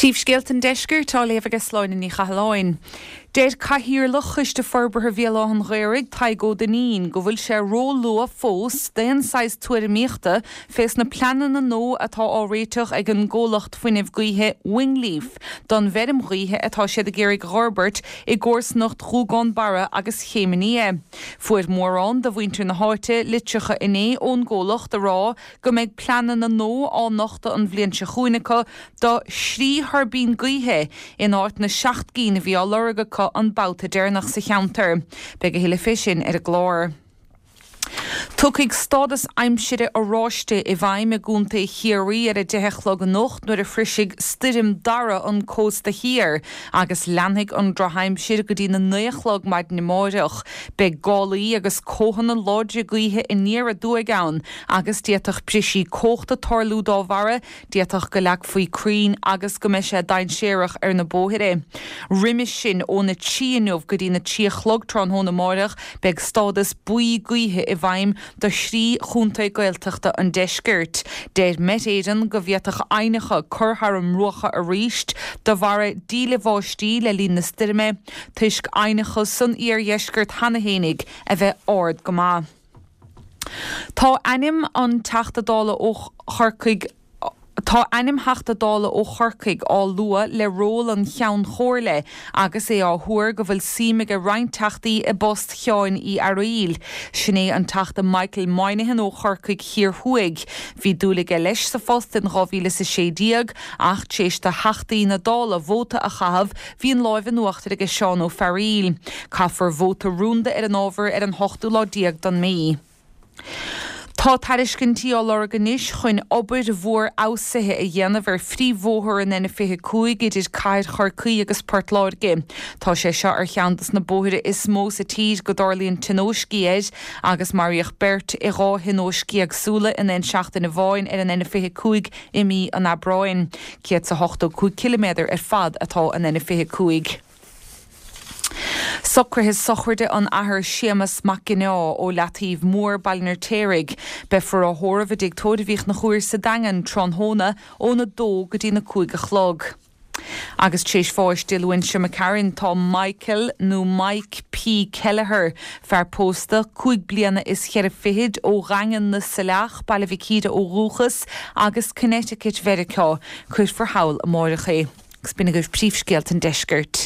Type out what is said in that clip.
Príomhscéalta an Deiscirt á léamh ag Sláine Ní Chathalláin. Deir Cathaoirleach Choiste Forbartha Bhéal Átha an Ghaorthaidh, Tadhg Ó Duinnín, go bhfuil sé ró-luath fós d'aon saghas tuairimíochta fés na pleananna nua atá á réiteach ag an gcomhlacht fuinnimh gaoithe Wingleaf don bhfeirm ghaoithe atá siad ag iarraidh a dh'fhorbairt i gcomharsanacht Ghuagán Barra agus Chéim an Fhia. Fuair mórán de mhuintir na háite litreacha inné ón gcomhlacht a rá go mbeidh pleananna nua á nochtadh an bhliain seo chugainn acu do thrí thuirbín gaoithe in áit na seacht gcinn a bhí á lorg acu an babhta deireanach sa cheantar. Beidh a thuilleadh fé sin ar an gclár. Tiocfaidh stádas aimsire oráiste i bhfeidhm i gContae Chiarraí ar a 10 a chlog anocht nuair a shroisfidh Stoirm Dara an cósta thiar agus leanfaidh an drochaimsir go dtí na 9 a chlog maidin amáireach. Beidh gálaí agus cóthanna láidre gaoithe aniar aduaidh ann agus d'fhéadfadh brisí cumhachta tarlú dá bharra, d'fhéadfadh go leagfaí crainn agus go mbeidh sé dainséarach ar na bóithre. Roimis sin, óna 3 inniu go dtí na 3 a chlog tráthnóna amáireach, beidh stádas buí gaoithe i bhfeidhm do thrí chontae Gaeltachta an deiscirt. Deir Met Éireann go bhféadfadh aibhneacha cur thar a mbruacha arís de bharra díle bháistí le linn na stoirme, toisc aibhneacha san iardheisceart cheana fhéinig a bheith ard go maith. Tá ainm an Teachta Dála ó Chorcaigh Tá ainm Theachta Dála ó Chorcaigh á lua le ról an Cheann Chomhairle agus é á thuar go bhfuil suim aige roinnt Teachtaí i bpost Sheáin Uí Fhearghaíl. Sin é an Teachta Michael Moynihan ó Chorcaigh Thiar Thuaidh. Bhí dúil aige leis sa phost in 2016 ach tar éis do Theachtaí na Dála vóta a chaitheamh Bhí an láimh in uachtar aige Seán Ó Fearghaíl. Caithfear vóta rúnda ar an ábhar ar an hochtú lá déag don mí. Tá tairiscintí á lorg anois chun obair mhór fheabhsaithe a dhéanamh ar phríomhbhóthar an N25 idir cathair Chorcaí agus Port Láirge. Tá sé seo ar cheann dos na bóithre is mó sa tír go dtarlaíonn tionóiscí air agus maraíodh beirt i dhá thionóisc éagsúla in aon seachtain amháin ar an N25 i mí an Aibreáin. 185 ciliméadar ar fad atá an N25. Socruithe sochraide an Athar Séamas Mac Ginneá ó Leataoibh Mór, Baile an Fheirtéaraigh. Beifear á thórramh i dTigh Tórraimh Uí Chonchúir sa Daingean tráthnóna óna dó go dtí na 5 a chlog. Agus tar éis bháis Dé Luain seo imigh tharainn tá Michael nó Mike P. Kelleher, fear pósta, cúig bliana is cheithre fichid, ó Dhaingean na Saileach, Baile Mhic Íre ó dhúchas, agus Connecticut Mheiriceá. Cuirfear thall amáireach é. Agus b'in agaibh príomhscéalta an deiscirt.